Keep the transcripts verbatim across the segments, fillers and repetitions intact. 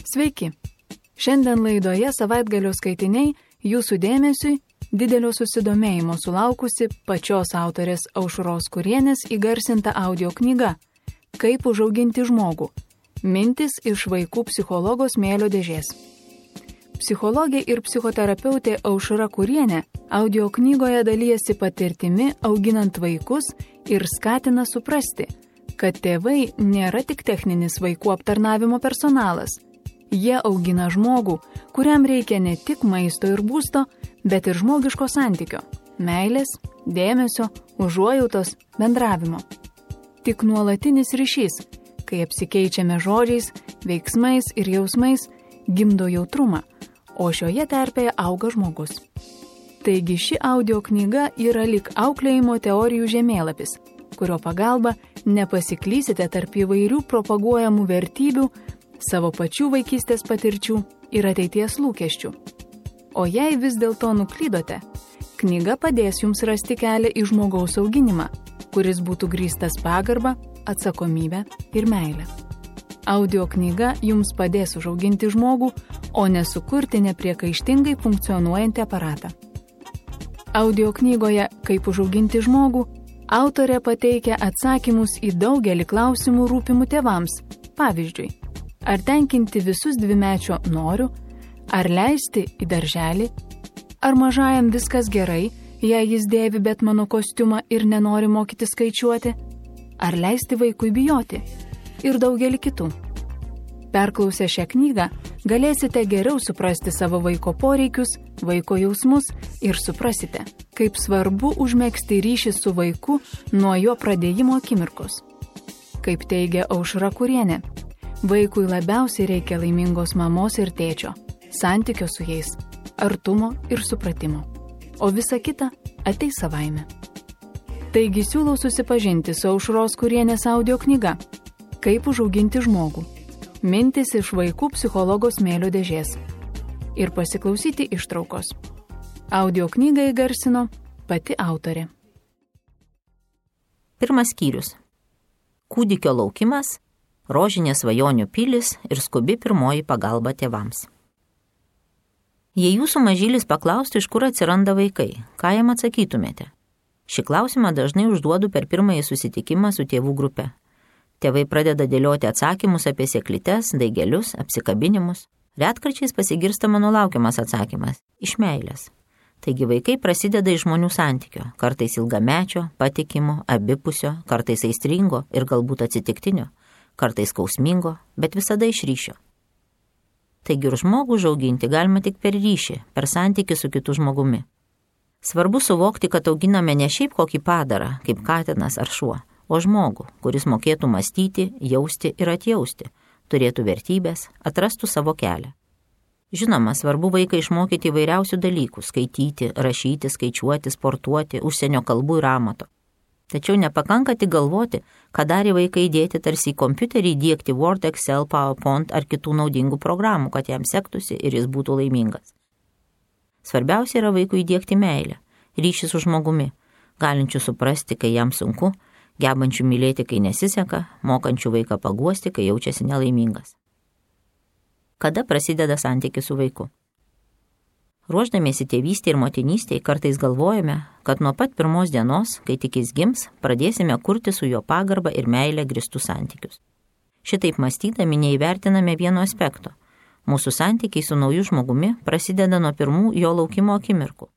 Sveiki! Šiandien laidoje Savaitgalio skaitiniai jūsų dėmesiui didelio susidomėjimo sulaukusi pačios autorės Aušros Kurienės įgarsinta audio knyga Kaip užauginti žmogų. Mintis iš vaikų psichologo smėlio dėžės. Psichologė ir psichoterapeutė Aušra Kurienė audio knygoje dalijasi patirtimi auginant vaikus ir skatina suprasti, kad tėvai nėra tik techninis vaikų aptarnavimo personalas. Jie augina žmogų, kuriam reikia ne tik maisto ir būsto, bet ir žmogiško santykio, meilės, dėmesio, užuojautos, bendravimo. Tik nuolatinis ryšys, kai apsikeičiame žodžiais, veiksmais ir jausmais, gimdo jautrumą, o šioje terpėje auga žmogus. Taigi ši audio knyga yra lyg auklėjimo teorijų žemėlapis, kurio pagalba nepasiklysite tarp įvairių propaguojamų vertybių, savo pačių vaikystės patirčių ir ateities lūkesčių. O jei vis dėlto nuklydote, knyga padės jums rasti kelią į žmogaus auginimą, kuris būtų grįstas pagarba, atsakomybė ir meilė. Audio knyga jums padės užauginti žmogų, o nesukurti nepriekaištingai funkcionuojantį aparatą. Audio knygoje Kaip užauginti žmogų autorė pateikia atsakymus į daugelį klausimų rūpimų tėvams. Pavyzdžiui, ar tenkinti visus dvimečio noriu, ar leisti į darželį, ar mažajam viskas gerai, jei jis dėvi Betmano kostiumą ir nenori mokyti skaičiuoti, ar leisti vaikui bijoti ir daugelį kitų. Perklausę šią knygą, galėsite geriau suprasti savo vaiko poreikius, vaiko jausmus ir suprasite, kaip svarbu užmegzti ryšį su vaiku nuo jo pradėjimo akimirkos. Kaip teigia Aušra Kurienė, vaikui labiausiai reikia laimingos mamos ir tėčio, santykio su jais, artumo ir supratimo, o visa kita ateis savaime. Taigi siūlau susipažinti su Aušros Kurienės audio knyga Kaip užauginti žmogų. Mintis iš vaikų psichologo smėlio dėžės. Ir pasiklausyti ištraukos. Audio knygą įgarsino pati autorė. Pirmas skyrius. Kūdikio laukimas, rožinės svajonių pilis ir skubi pirmoji pagalba tėvams. Jei jūsų mažylis paklaustų, iš kur atsiranda vaikai, ką jam atsakytumėte? Šį klausimą dažnai užduodu per pirmąjį susitikimą su tėvų grupe. Tėvai pradeda dėlioti atsakymus apie sėklytes, daigelius, apsikabinimus. Retkarčiais pasigirsta mano laukiamas atsakymas – iš meilės. Taigi vaikai prasideda iš žmonių santykio, kartais ilgamečio, patikimo, abipusio, kartais aistringo ir galbūt atsitiktinio, kartais skausmingo, bet visada iš ryšio. Taigi ir žmogų užauginti galima tik per ryšį, per santykį su kitu žmogumi. Svarbu suvokti, kad auginame ne šiaip kokį padarą, kaip katinas ar šuo, o žmogų, kuris mokėtų mąstyti, jausti ir atjausti, turėtų vertybės, atrastų savo kelią. Žinoma, svarbu vaiką išmokyti įvairiausių dalykų – skaityti, rašyti, skaičiuoti, sportuoti, užsienio kalbų ir amato. Tačiau nepakanka tik galvoti, ką darė vaikai įdėti tarsi į kompiuterį įdiegti Word, Excel, PowerPoint ar kitų naudingų programų, kad jam sektųsi ir jis būtų laimingas. Svarbiausia yra vaikui įdiegti meilę, ryšį su žmogumi, galinčių suprasti, kai jam sunku, gebančių mylėti, kai nesiseka, mokančių vaiką paguosti, kai jaučiasi nelaimingas. Kada prasideda santykis su vaiku? Ruošdamiesi tėvystėje ir motinystėje kartais galvojame, kad nuo pat pirmos dienos, kai tik jis gims, pradėsime kurti su jo pagarbą ir meilę grįstus santykius. Šitaip mąstydami neįvertiname vieno aspekto. Mūsų santykiai su nauju žmogumi prasideda nuo pirmų jo laukimo akimirkų.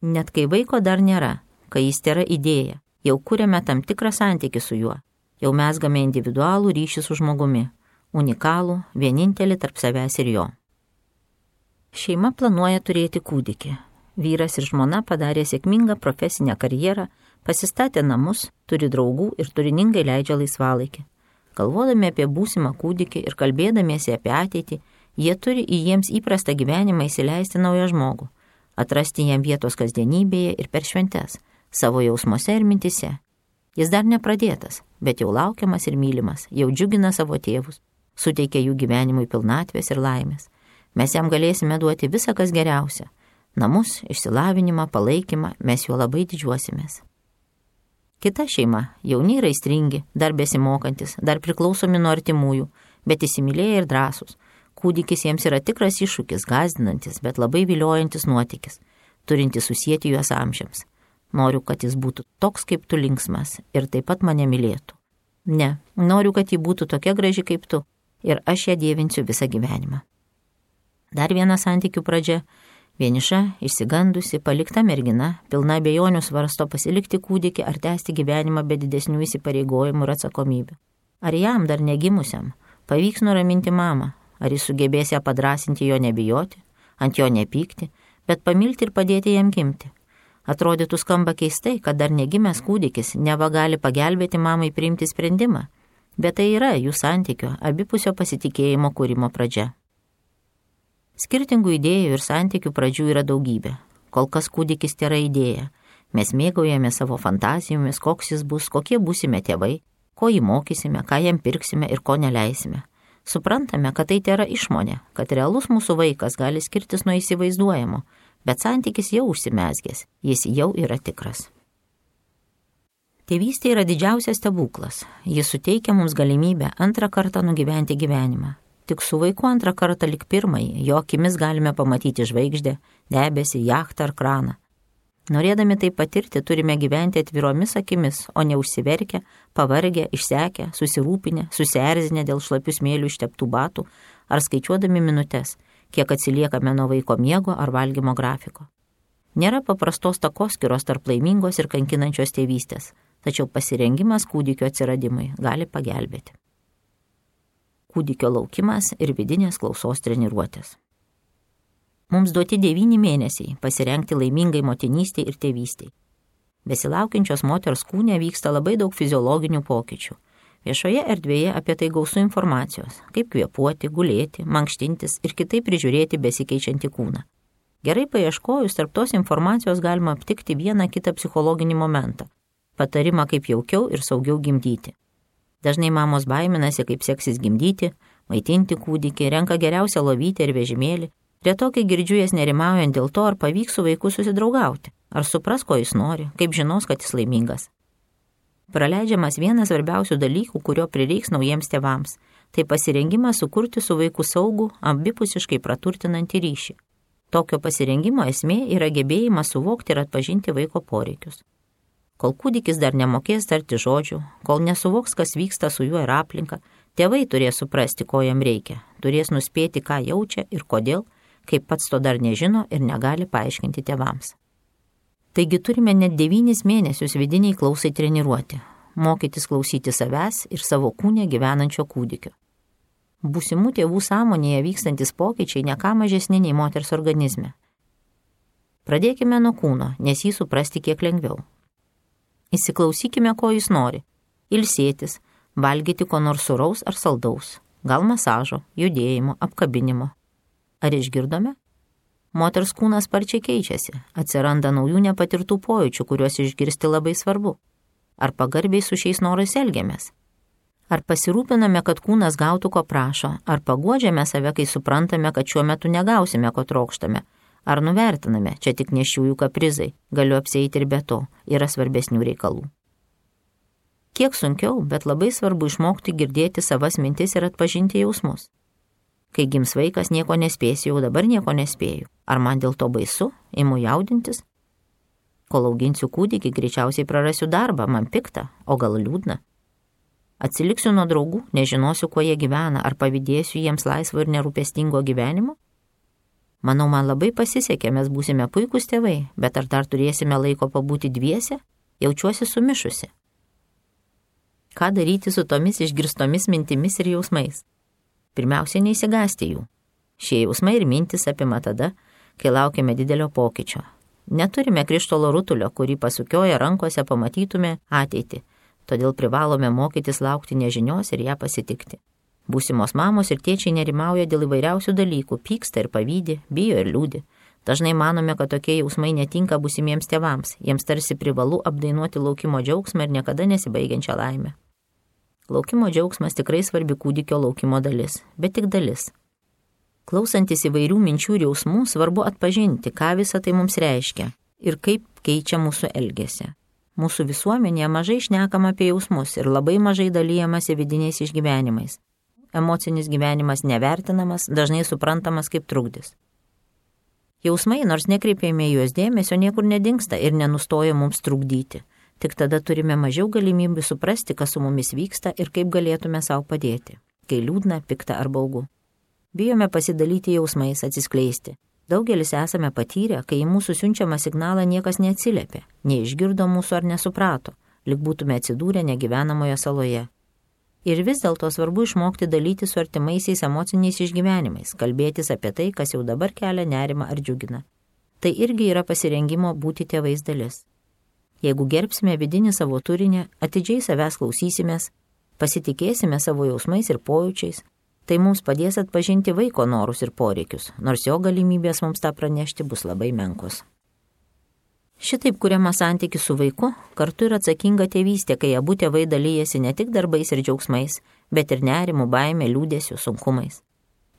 Net kai vaiko dar nėra, kai jis tėra idėja, jau kuriame tam tikrą santykį su juo, jau mezgame individualų ryšį su žmogumi, unikalų, vienintelį tarp savęs ir jo. Šeima planuoja turėti kūdikį. Vyras ir žmona padarė sėkmingą profesinę karjerą, pasistatė namus, turi draugų ir turiningai leidžia laisvalaikį. Galvodami apie būsimą kūdikį ir kalbėdamiesi apie ateitį, jie turi į jiems įprastą gyvenimą įsileisti naują žmogų, atrasti jam vietos kasdienybėje ir per šventes, savo jausmuose ir mintise. Jis dar nepradėtas, bet jau laukiamas ir mylimas, jau džiugina savo tėvus, suteikia jų gyvenimui pilnatvės ir laimės. Mes jam galėsime duoti visą, kas geriausia. Namus, išsilavinimą, palaikymą, mes juo labai didžiuosimės. Kita šeima, jauni ir aistringi, dar besimokantis, dar priklausomi nuo artimųjų, bet įsimylėję ir drąsūs, Kūdikis jiems yra tikras iššūkis, gąsdinantis, bet labai viliojantis nuotykis, turintis susijęti juos amžiams. Noriu, kad jis būtų toks kaip tu linksmas ir taip pat mane mylėtų. Ne, noriu, kad ji būtų tokia graži kaip tu ir aš ją dievinsiu visą gyvenimą. Dar viena santykių pradžia. Vieniša, išsigandusi, palikta mergina, pilna abejonių svarsto pasilikti kūdikį ar tęsti gyvenimą be didesnių įsipareigojimų ir atsakomybių. Ar jam dar negimusiam pavyks nuraminti mamą? Ar jis sugebės ją padrasinti, jo nebijoti, ant jo nepykti, bet pamilti ir padėti jam gimti? Atrodytų skamba keistai, kad dar negimęs kūdikis neva gali pagelbėti mamai priimti sprendimą, bet tai yra jų santykio, abipusio pasitikėjimo kūrimo pradžia. Skirtingų idėjų ir santykių pradžių yra daugybė. Kol kas kūdikis tėra idėja. Mes mėgaujame savo fantazijomis, koks jis bus, kokie būsime tėvai, ko jį mokysime, ką jam pirksime ir ko neleisime. Suprantame, kad tai tėra išmonė, kad realus mūsų vaikas gali skirtis nuo įsivaizduojamo, bet santykis jau užsimezgęs, jis jau yra tikras. Tėvystė yra didžiausias stebuklas. Jis suteikia mums galimybę antrą kartą nugyventi gyvenimą. Tik su vaiku antrą kartą lik pirmąjį, jo akimis galime pamatyti žvaigždę, debesį, jachtą ar kraną. Norėdami tai patirti, turime gyventi atviromis akimis, o ne užsiverkę, pavargę, išsekę, susirūpinę, susierzinę dėl šlapių smėlių išteptų batų ar skaičiuodami minutes, kiek atsiliekame nuo vaiko miego ar valgymo grafiko. Nėra paprastos takoskyros tarp laimingos ir kankinančios tėvystės, tačiau pasirengimas kūdikio atsiradimui gali pagelbėti. Kūdikio laukimas ir vidinės klausos treniruotės. Mums duoti devyni mėnesiai pasirengti laimingai motinystei ir tėvystei. Besilaukiančios moters kūne vyksta labai daug fiziologinių pokyčių. Viešoje erdvėje apie tai gausu informacijos, kaip kvėpuoti, gulėti, mankštintis ir kitaip prižiūrėti besikeičiantį kūną. Gerai paieškojus, tarp tos informacijos galima aptikti vieną kitą psichologinį momentą, patarimą kaip jaukiau ir saugiau gimdyti. Dažnai mamos baiminasi, kaip seksis gimdyti, maitinti kūdikį, renka geriausią lovytę ir vežimėlį. Retokai girdžiu jas nerimaujant dėl to, ar pavyks su vaiku susidraugauti, ar supras, ko jis nori, kaip žinos, kad jis laimingas. Praleidžiamas vienas svarbiausių dalykų, kurio prireiks naujiems tėvams, tai pasirengimas sukurti su vaiku saugų, abipusiškai praturtinantį ryšį. Tokio pasirengimo esmė yra gebėjimas suvokti ir atpažinti vaiko poreikius. Kol kūdikis dar nemokės tarti žodžių, kol nesuvoks, kas vyksta su juo ir aplinka, tėvai turės suprasti, ko jam reikia, turės nuspėti, ką jaučia ir kodėl, kaip pats to dar nežino ir negali paaiškinti tėvams. Taigi turime net devynis mėnesius vidiniai klausai treniruoti, mokytis klausyti savęs ir savo kūne gyvenančio kūdikio. Būsimų tėvų sąmonėje vykstantis pokyčiai ne ką mažesni nei moters organizme. Pradėkime nuo kūno, nes jį suprasti kiek lengviau. Įsiklausykime, ko jis nori. Ilsėtis, valgyti ko nors sūraus ar saldaus, gal masažo, judėjimo, apkabinimo. Ar išgirdome? Moters kūnas sparčiai keičiasi, atsiranda naujų nepatirtų pojūčių, kuriuos išgirsti labai svarbu. Ar pagarbiai su šiais norais elgiamės? Ar pasirūpiname, kad kūnas gautų, ko prašo? Ar paguodžiame save, kai suprantame, kad šiuo metu negausime, ko trokštame? Ar nuvertiname, čia tik nėščiųjų kaprizai, galiu apsieiti ir be to, yra svarbesnių reikalų. Kiek sunkiau, bet labai svarbu išmokti girdėti savas mintis ir atpažinti jausmus. Kai gims vaikas, nieko nespėsiu, jau dabar nieko nespėju. Ar man dėl to baisu, imu jaudintis? Kol auginsiu kūdikį, greičiausiai prarasiu darbą, man pikta, o gal liūdna. Atsiliksiu nuo draugų, nežinosiu, kuo jie gyvena, ar pavydėsiu jiems laisvo ir nerūpestingo gyvenimo? Manau, man labai pasisekė, mes būsime puikūs tėvai, bet ar dar turėsime laiko pabūti dviese? Jaučiuosi sumišusi. Ką daryti su tomis išgirstomis mintimis ir jausmais? Pirmiausia, neįsigąsti jų. Šie jausmai ir mintis apima tada, kai laukiame didelio pokyčio. Neturime krištolo rutulio, kurį pasukioję rankose pamatytume ateitį, todėl privalome mokytis laukti nežinios ir ją pasitikti. Būsimos mamos ir tėčiai nerimauja dėl įvairiausių dalykų, pyksta ir pavydi, bijo ir liūdi. Dažnai manome, kad tokie jausmai netinka būsimiems tėvams, jiems tarsi privalu apdainuoti laukimo džiaugsmą ir niekada nesibaigiančią laimę. Laukimo džiaugsmas tikrai svarbi kūdikio laukimo dalis, bet tik dalis. Klausantis įvairių minčių ir jausmų, svarbu atpažinti, ką visa tai mums reiškia ir kaip keičia mūsų elgesį. Mūsų visuomenėje mažai šnekama apie jausmus ir labai mažai dalyjamasi vidiniais išgyvenimais. emocinis gyvenimas nevertinamas, dažnai suprantamas kaip trukdis. Jausmai, nors nekreipėme juos dėmesio, niekur nedingsta ir nenustoja mums trukdyti. Tik tada turime mažiau galimybių suprasti, kas su mumis vyksta ir kaip galėtume savo padėti, kai liūdna, pikta ar baugu. Bijome pasidalyti jausmais, atsiskleisti. Daugelis esame patyrę, kai į mūsų siunčiamą signalą niekas neatsiliepė, neišgirdo mūsų ar nesuprato, lyg būtume atsidūrę negyvenamoje saloje. Ir vis dėlto svarbu išmokti dalyti su artimaisiais emociniais išgyvenimais, kalbėtis apie tai, kas jau dabar kelia nerimą ar džiugina. Tai irgi yra pasirengimo būti tėvais dalis. Jeigu gerbsime vidinį savo turinį, atidžiai savęs klausysimės, pasitikėsime savo jausmais ir pojūčiais, tai mums padės atpažinti vaiko norus ir poreikius, nors jo galimybės mums tą pranešti bus labai menkos. Šitaip kuriama santykis su vaiku, kartu ir atsakinga tėvystė, kai abu tėvai dalyjasi ne tik darbais ir džiaugsmais, bet ir nerimu, baime, liūdėsiu, sunkumais.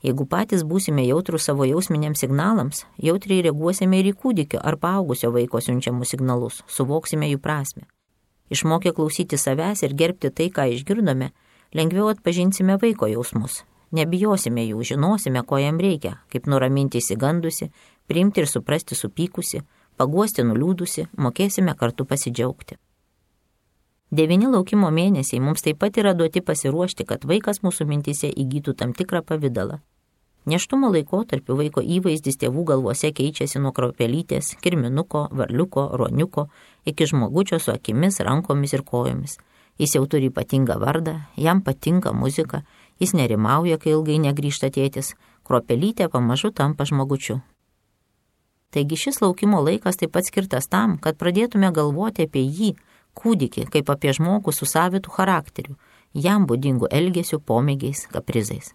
Jeigu patys būsime jautrus savo jausminiams signalams, jautriai reaguosime ir į kūdikio ar paaugusio vaiko siunčiamus signalus, suvoksime jų prasmę. Išmokę klausyti savęs ir gerbti tai, ką išgirdome, lengviau atpažinsime vaiko jausmus. Nebijosime jų, žinosime, ko jam reikia, kaip nuraminti įsigandusi, priimti ir suprasti supykusi, paguosti nuliūdusi, mokėsime kartu pasidžiaugti. Devini laukimo mėnesiai mums taip pat yra duoti pasiruošti, kad vaikas mūsų mintise įgytų tam tikrą pavidalą. Nėštumo laikotarpiu vaiko įvaizdis tėvų galvose keičiasi nuo kruopelytės, kirminuko, varliuko, ruoniuko, iki žmogučio su akimis, rankomis ir kojomis. Jis jau turi ypatingą vardą, jam patinka muzika, jis nerimauja, kai ilgai negrįžta tėtis, kruopelytė pamažu tampa žmogučiu. Taigi šis laukimo laikas taip pat skirtas tam, kad pradėtume galvoti apie jį, kūdikį, kaip apie žmogų su savitu charakteriu, jam būdingų elgesių, pomėgiais, kaprizais.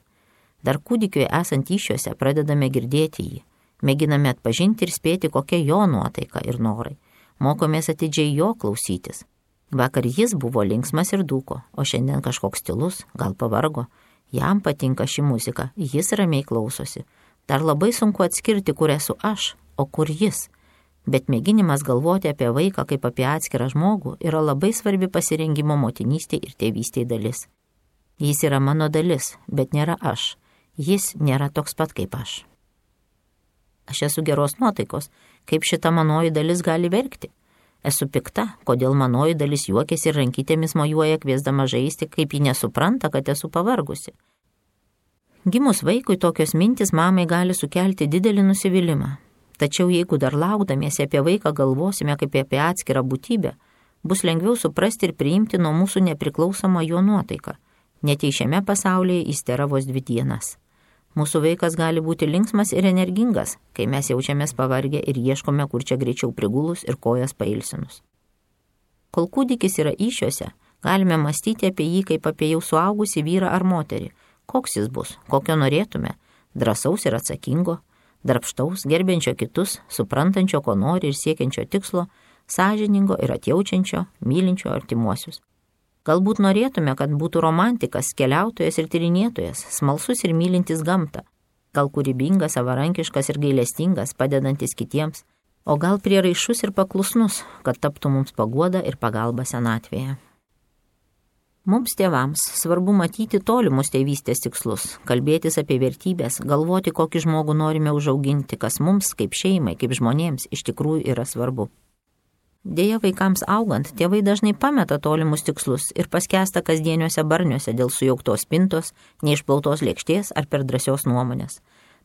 Dar kūdikiui esant įsčiuose pradedame girdėti jį, mėginame atpažinti ir spėti, kokia jo nuotaika ir norai, mokomės atidžiai jo klausytis. Vakar jis buvo linksmas ir dūko, o šiandien kažkoks tylus, gal pavargo, jam patinka ši muzika, jis ramiai klausosi. Dar labai sunku atskirti, kur esu aš, o kur jis. Bet mėginimas galvoti apie vaiką kaip apie atskirą žmogų yra labai svarbi pasirengimo motinystė ir tėvystė dalis. Jis yra mano dalis, bet nėra aš. Jis nėra toks pat kaip aš. Aš esu geros nuotaikos, kaip šita manoji dalis gali verkti. Esu pikta, kodėl manoji dalis juokiasi ir rankytėmis mojuoja kviesdama žaisti, kaip ji nesupranta, kad esu pavargusi. Gimus vaikui tokios mintis mamai gali sukelti didelį nusivylimą. Tačiau jeigu dar laukdamiesi apie vaiką galvosime kaip apie atskirą būtybę, bus lengviau suprasti ir priimti nuo mūsų nepriklausomą jo nuotaiką. Net jei šiame pasaulyje jis tėra vos dvi dienas. Mūsų vaikas gali būti linksmas ir energingas, kai mes jaučiamės pavargę ir ieškome, kur čia greičiau prigulus ir kojas pailsinus. Kol kūdikis yra įsčiuose, galime mąstyti apie jį kaip apie jau suaugusį vyrą ar moterį. Koks jis bus, kokio norėtume, drąsaus ir atsakingo, darbštaus, gerbiančio kitus, suprantančio, ko nori ir siekiančio tikslo, sąžiningo ir atjaučiančio, mylinčio artimuosius. Galbūt norėtume, kad būtų romantikas, keliautojas ir tyrinėtojas, smalsus ir mylintis gamtą, gal kūrybingas, savarankiškas ir gailestingas, padedantis kitiems, o gal prieraišus ir paklusnus, kad taptų mums paguoda ir pagalba senatvėje. Mums tėvams svarbu matyti tolimus tėvystės tikslus, kalbėtis apie vertybės, galvoti, kokį žmogų norime užauginti, kas mums, kaip šeimai, kaip žmonėms, iš tikrųjų yra svarbu. Deja, vaikams augant, tėvai dažnai pameta tolimus tikslus ir paskęsta kasdieniuose barniuose dėl sujauktos spintos, neišplautos lėkštės ar per drąsios nuomonės.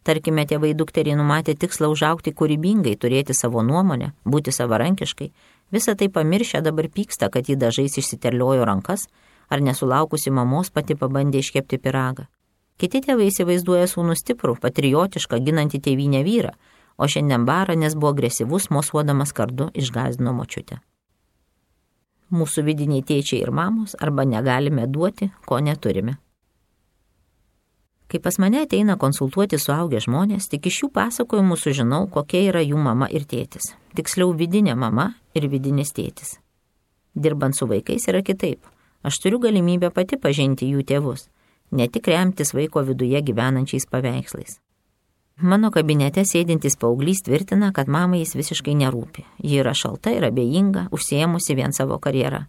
Tarkime, tėvai dukteriai numatė tikslą užaugti kūrybingai, turėti savo nuomonę, būti savarankiškai, visą tai pamiršę dabar pyksta, kad jį dažais išsiterliojo rankas, ar nesulaukusi mamos pati pabandė iškepti pyragą. Kiti tėvai įsivaizduoja sūnų stiprų, patriotišką, ginantį tėvynę vyrą, o šiandien bara, nes buvo agresyvus, mosuodamas kardu išgąsdino močiutę. Mūsų vidiniai tėčiai ir mamos arba negalime duoti, ko neturime. Kai pas mane ateina konsultuoti suaugę žmonės, tik iš jų pasakojimų sužinau, kokia yra jų mama ir tėtis. Tiksliau, vidinė mama ir vidinis tėtis. Dirbant su vaikais yra kitaip. Aš turiu galimybę pati pažinti jų tėvus, ne tik remtis vaiko viduje gyvenančiais paveikslais. Mano kabinete sėdintis paauglys tvirtina, kad mamai jis visiškai nerūpi. Ji yra šalta ir abejinga, užsiėmusi vien savo karjerą.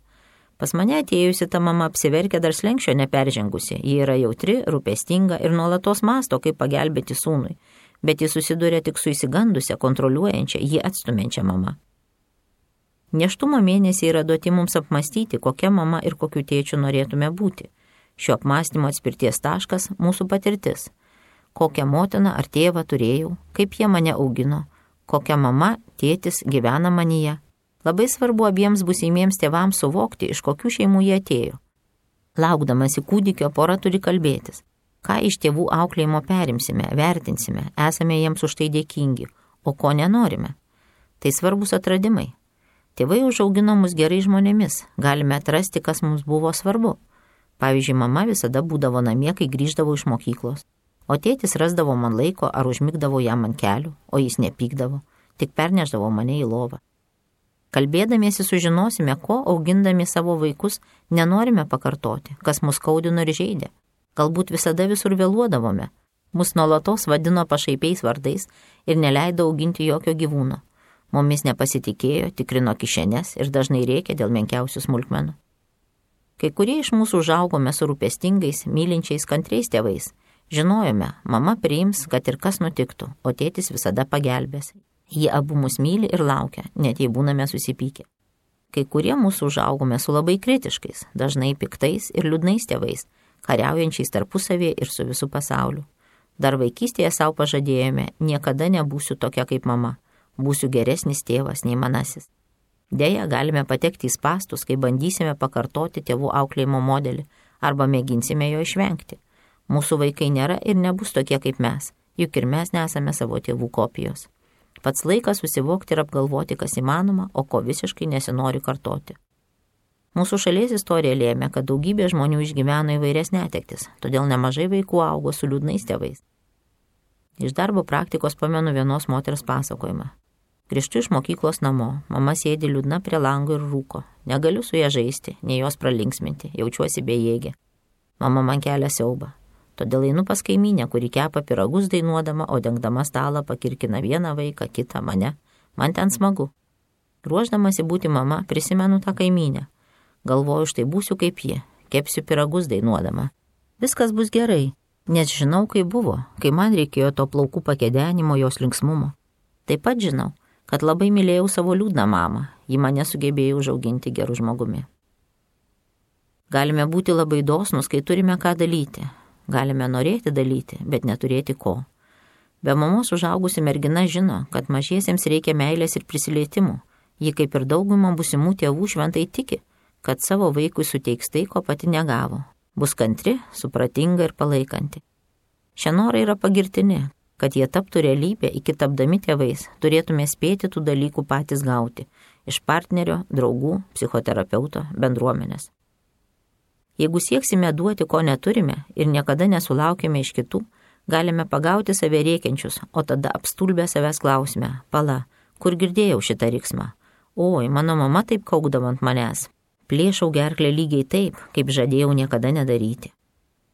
Pas mane atėjusi ta mama apsiverkia dar slenkščio neperžengusi. Ji yra jautri, rūpestinga ir nuolatos masto, kaip pagelbėti sūnui. Bet ji susiduria tik su įsigandusia, kontroliuojančia, jį atstumiančia mama. Nėštumo mėnesiai yra duoti mums apmastyti, kokia mama ir kokiu tėčiu norėtume būti. Šio apmąstymo atspirties taškas – mūsų patirtis. Kokią motiną ar tėvą turėjau, kaip jie mane augino, kokia mama, tėtis gyvena manyje. Labai svarbu abiems būsimiems tėvams suvokti, iš kokių šeimų jie atėjo. Laukdamasi kūdikio, pora turi kalbėtis. Ką iš tėvų auklėjimo perimsime, vertinsime, esame jiems už tai dėkingi, o ko nenorime. Tai svarbus atradimai. Tėvai užaugino mus gerai žmonėmis, galime atrasti, kas mums buvo svarbu. Pavyzdžiui, mama visada būdavo namie, kai grįždavo iš mokyklos, o tėtis rasdavo man laiko ar užmigdavo jam ant kelių, o jis nepykdavo, tik perneždavo mane į lovą. Kalbėdamiesi sužinosime, ko augindami savo vaikus nenorime pakartoti, kas mus skaudino ir žeidė. Galbūt visada visur vėluodavome, mus nuolatos vadino pašaipiais vardais ir neleido auginti jokio gyvūno. Mumis nepasitikėjo, tikrino kišenes ir dažnai rėkė dėl menkiausių smulkmenų. Kai kurie iš mūsų užaugome su rūpestingais, mylinčiais, kantriais tėvais. Žinojome, mama priims, kad ir kas nutiktų, o tėtis visada pagelbės. Jie abu mus myli ir laukia, net jei būname susipykę. Kai kurie mūsų užaugome su labai kritiškais, dažnai piktais ir liūdnais tėvais, kariaujančiais tarpusavėje ir su visu pasauliu. Dar vaikystėje savo pažadėjome, niekada nebūsiu tokia kaip mama, būsiu geresnis tėvas nei manasis. Deja, galime patekti į spąstus, kai bandysime pakartoti tėvų auklėjimo modelį arba mėginsime jo išvengti. Mūsų vaikai nėra ir nebus tokie kaip mes, juk ir mes nesame savo tėvų kopijos. Pats laikas susivokti ir apgalvoti, kas įmanoma, o ko visiškai nesinori kartoti. Mūsų šalies istorija lėmė, kad daugybė žmonių išgyveno įvairias netektis, todėl nemažai vaikų augo su liūdnais tėvais. Iš darbo praktikos pamenu vienos moters pasakojimą. Grįžtu iš mokyklos namo, mama sėdi liūdna prie lango ir rūko. Negaliu su ja žaisti, nei jos pralinksminti, jaučiuosi bejėgė. Mama man kelia siaubą. Todėl einu pas kaimynę, kuri kepa pyragus dainuodama, o dengdama stalą pakirkina vieną vaiką, kitą mane. Man ten smagu. Ruošdamasi būti mama, prisimenu tą kaimynę. Galvoju, štai būsiu kaip ji, kepsiu pyragus dainuodama. Viskas bus gerai, nes žinau, kaip buvo, kai man reikėjo to plaukų pakedenimo, jos linksmumo. Taip pat žinau, kad labai mylėjau savo liūdną mamą, ji mane sugebėjo užauginti gerų žmogumi. Galime būti labai dosnus, kai turime ką dalyti. Galime norėti dalyti, bet neturėti ko. Be mamos užaugusi mergina žino, kad mažiesiems reikia meilės ir prisilietimų. Ji kaip ir dauguma būsimų tėvų šventai tiki, kad savo vaikui suteiks tai, ko pati negavo. Bus kantri, supratinga ir palaikanti. Šie norai yra pagirtini, kad jie taptų realybė, iki tapdami tėvais, turėtume spėti tų dalykų patys gauti iš partnerio, draugų, psichoterapeuto, bendruomenės. Jeigu sieksime duoti, ko neturime ir niekada nesulaukime iš kitų, galime pagauti save rėkiančius, o tada apstulbę savęs klausime, pala, kur girdėjau šitą riksmą? Oi, mano mama taip kaukdavo ant manęs. Plėšau gerklę lygiai taip, kaip žadėjau niekada nedaryti.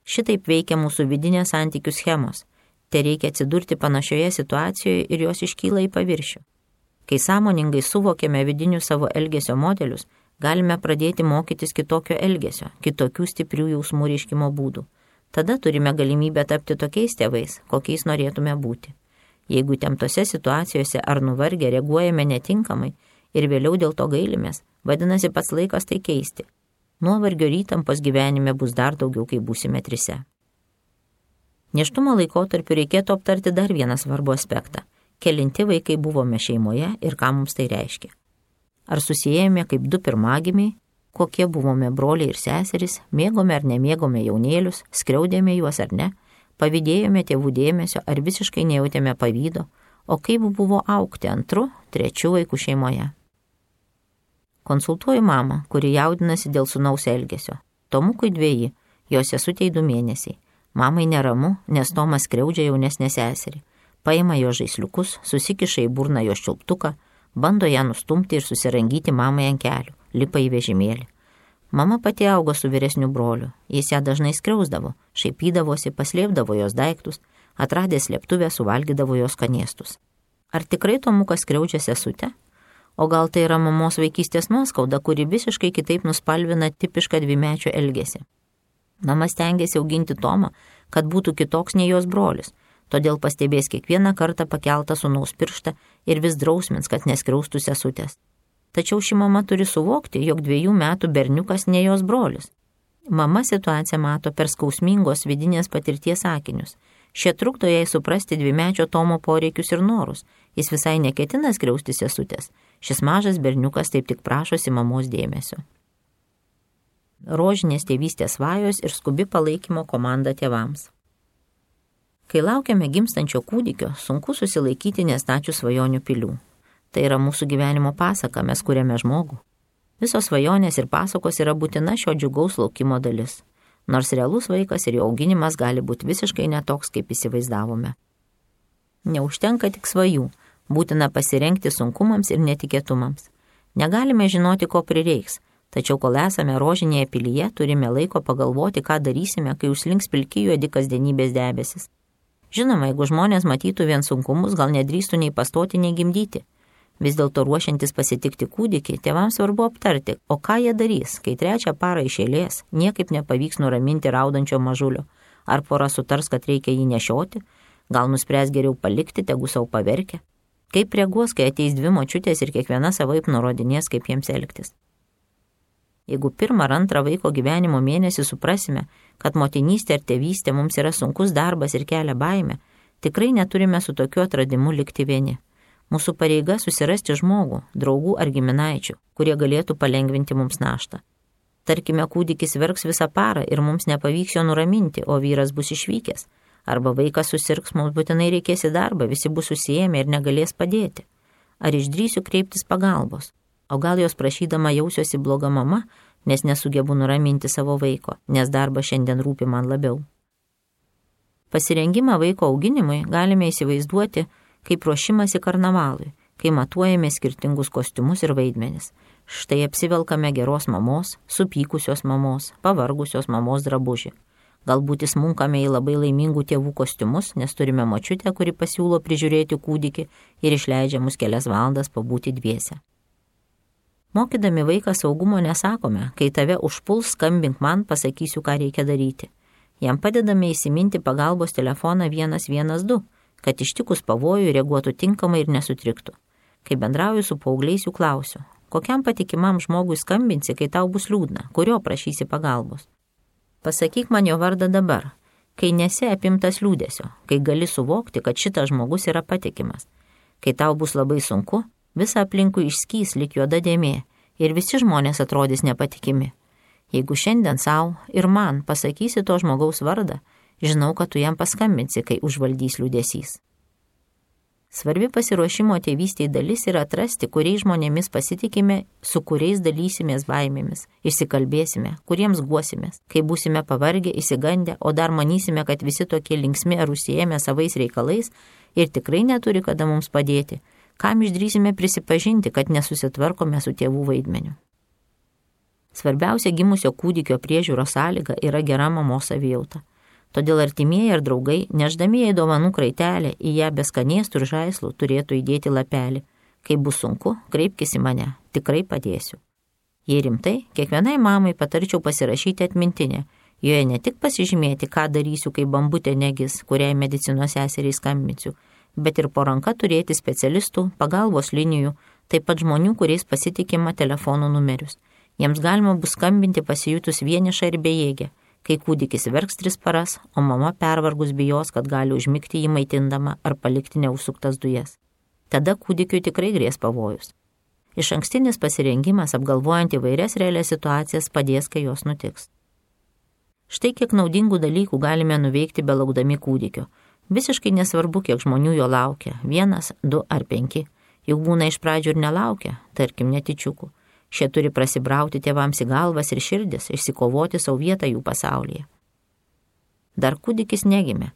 Šitaip veikia mūsų vidinės santykių schemos. Te reikia atsidurti panašioje situacijoje ir jos iškyla į paviršių. Kai sąmoningai suvokiame vidinius savo elgesio modelius, galime pradėti mokytis kitokio elgesio, kitokių stiprių jausmų reiškimo būdų. Tada turime galimybę tapti tokiais tėvais, kokiais norėtume būti. Jeigu temtose situacijose ar nuvargę reaguojame netinkamai ir vėliau dėl to gailimės, vadinasi pats laikas tai keisti. Nuovargio ir įtampos gyvenime bus dar daugiau, kai būsime trise. Nėštumo laikotarpiu reikėtų aptarti dar vieną svarbų aspektą. Kelinti vaikai buvome šeimoje ir ką mums tai reiškia. Ar susijėjome kaip du pirmagimiai, kokie buvome broliai ir seserys, mėgome ar nemėgome jaunėlius, skriaudėme juos ar ne, pavydėjome tėvų dėmesio ar visiškai nejautėme pavydo, o kaip buvo augti antru, trečiu vaikų šeimoje. Konsultuoju mamą, kuri jaudinasi dėl sūnaus elgesio. Tomukui dveji, jos sesutei du mėnesiai. Mamai neramu, nes Tomas skriaudžia jaunesnę seserį. Paima jo žaisliukus, susikiša į burną jos čiulptuką, bando ją nustumti ir susirangyti mamai ant kelių, lipa į vežimėlį. Mama pati augo su vyresniu broliu, jis ją dažnai skriausdavo, šaipydavosi, paslėpdavo jos daiktus, atradęs slėptuvę suvalgydavo jos skanėstus. Ar tikrai Tomukas skriaudžia sesutę? O gal tai yra mamos vaikystės nuoskauda, kuri visiškai kitaip nuspalvina tipišką dvimečio elgesį. Mama stengiasi auginti Tomą, kad būtų kitoks nei jos brolis, todėl pastebės kiekvieną kartą pakeltą sūnaus pirštą ir vis drausmins, kad neskriaustų sesutės. Tačiau ši mama turi suvokti, jog dviejų metų berniukas ne jos brolis. Mama situaciją mato per skausmingos vidinės patirties akinius. Šie trukdo jai suprasti dvimečio Tomo poreikius ir norus. Jis visai neketina skriausti sesutės. Šis mažas berniukas taip tik prašosi mamos dėmesio. Rožinės tėvystės svajos ir skubi palaikymo komanda tėvams. Kai laukiame gimstančio kūdikio, sunku susilaikyti nestačių svajonių pilių. Tai yra mūsų gyvenimo pasaka, mes kuriame žmogų. Visos svajonės ir pasakos yra būtina šio džiugaus laukimo dalis. Nors realus vaikas ir jo auginimas gali būti visiškai netoks, kaip įsivaizdavome. Neužtenka tik svajų, būtina pasirengti sunkumams ir netikėtumams. Negalime žinoti, ko prireiks, tačiau kol esame rožinėje pilyje, turime laiko pagalvoti, ką darysime, kai užslinks pilki juodi kasdienybės debesis. Žinoma, jeigu žmonės matytų vien sunkumus, gal nedrįstų nei pastoti, nei gimdyti. Vis dėlto ruošiantis pasitikti kūdikį, tėvams svarbu aptarti, o ką jie darys, kai trečią parą iš eilės niekaip nepavyks nuraminti raudančio mažulio. Ar pora sutars, kad reikia jį nešioti, gal nuspręs geriau palikti, tegu savo paverkia. Kaip reaguos, kai ateis dvi močiutės ir kiekviena savaip nurodinės, kaip jiems elgtis. Jeigu pirmą ar antrą vaiko gyvenimo mėnesį suprasime, kad motinystė ar tėvystė mums yra sunkus darbas ir kelia baimę, tikrai neturime su tokiu atradimu likti vieni. Mūsų pareiga susirasti žmogų, draugų ar giminaičių, kurie galėtų palengvinti mums naštą. Tarkime, kūdikis verks visą parą ir mums nepavyks jo nuraminti, o vyras bus išvykęs. Arba vaikas susirgs, mums būtinai reikės į darbą, visi bus susijėmę ir negalės padėti. Ar išdrįsiu kreiptis pagalbos? O gal jos prašydama jausiuosi bloga mama, nes nesugebu nuraminti savo vaiko, nes darbas šiandien rūpi man labiau. Pasirengimą vaiko auginimui galime įsivaizduoti kaip ruošimasi karnavalui, kai matuojame skirtingus kostiumus ir vaidmenis. Štai apsivelkame geros mamos, supykusios mamos, pavargusios mamos drabužį. Galbūt įsmunkame į labai laimingų tėvų kostiumus, nes turime močiutę, kuri pasiūlo prižiūrėti kūdikį ir išleidžia mus kelias valandas pabūti dviese. Mokydami vaiką saugumo nesakome, kai tave užpuls, skambink man, pasakysiu, ką reikia daryti. Jam padedame įsiminti pagalbos telefoną vienas vienas du, kad ištikus pavojų reaguotų tinkamai ir nesutriktų. Kai bendrauju su paaugliais, jų klausiu, kokiam patikimam žmogui skambinsi, kai tau bus liūdna, kurio prašysi pagalbos. Pasakyk man jo vardą dabar, kai nesi apimtas liūdesio, kai gali suvokti, kad šitas žmogus yra patikimas. Kai tau bus labai sunku, visa aplinkui išskys lyg juoda dėmė ir visi žmonės atrodys nepatikimi. Jeigu šiandien savo ir man pasakysi to žmogaus vardą, žinau, kad tu jam paskambinsi, kai užvaldys liūdesys. Svarbi pasiruošimo tėvystėje dalis yra atrasti, kuriais žmonėmis pasitikime, su kuriais dalysimės baimėmis, išsikalbėsime, kuriems guosimės, kai būsime pavargę, įsigandę, o dar manysime, kad visi tokie linksmi ar užsiėmę savais reikalais ir tikrai neturi kada mums padėti, kam išdrįsime prisipažinti, kad nesusitvarkome su tėvų vaidmeniu. Svarbiausia gimusio kūdikio priežiūros sąlyga yra gera mamos savijauta. Todėl artimieji ir draugai, nešdami jai dovanų kraitelę, į ją be skanėstų ir žaislų turėtų įdėti lapelį. Kai bus sunku, kreipkis į mane, tikrai padėsiu. Jei rimtai, kiekvienai mamai patarčiau pasirašyti atmintinę, joje ne tik pasižymėti, ką darysiu, kai bambutė negis, kuriai medicinos seseriai skambinsiu, bet ir po ranka turėti specialistų, pagalbos linijų, taip pat žmonių, kuriais pasitikima telefonų numerius. Jiems galima bus skambinti pasijutus vienišą ir bejėgę, kai kūdikis verks tris paras, o mama pervargus bijos, kad gali užmigti jį maitindama ar palikti neužsuktas dujas. Tada kūdikiui tikrai grės pavojus. Iš ankstinis pasirengimas, apgalvojant įvairias realias situacijas, padės, kai jos nutiks. Štai kiek naudingų dalykų galime nuveikti belaukdami kūdikio. Visiškai nesvarbu, kiek žmonių jo laukia, vienas, du ar penki. Juk būna iš pradžių ir nelaukia, tarkim netyčiukų. Šie turi prasibrauti tėvams į galvas ir širdis, išsikovoti savo vietą jų pasaulyje. Dar kūdikis negimė.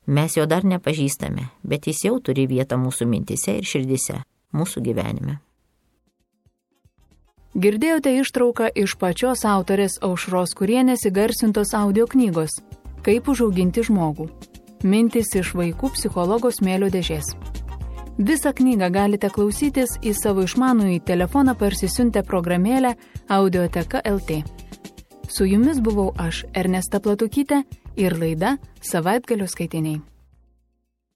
Mes jo dar nepažįstame, bet jis jau turi vietą mūsų mintise ir širdise, mūsų gyvenime. Girdėjote ištrauką iš pačios autorės Aušros Kurienės įgarsintos audio knygos Kaip užauginti žmogų. Mintys iš vaikų psichologo smėlio dėžės. Visą knygą galite klausytis į savo išmanųjį telefoną parsisiuntę programėlę Audioteka L T. Su jumis buvau aš, Ernesta Platukytė, ir laida Savaitgalio skaitiniai.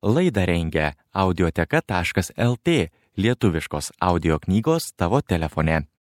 Laidą rengia audioteka taškas L T, lietuviškos audio knygos tavo telefone.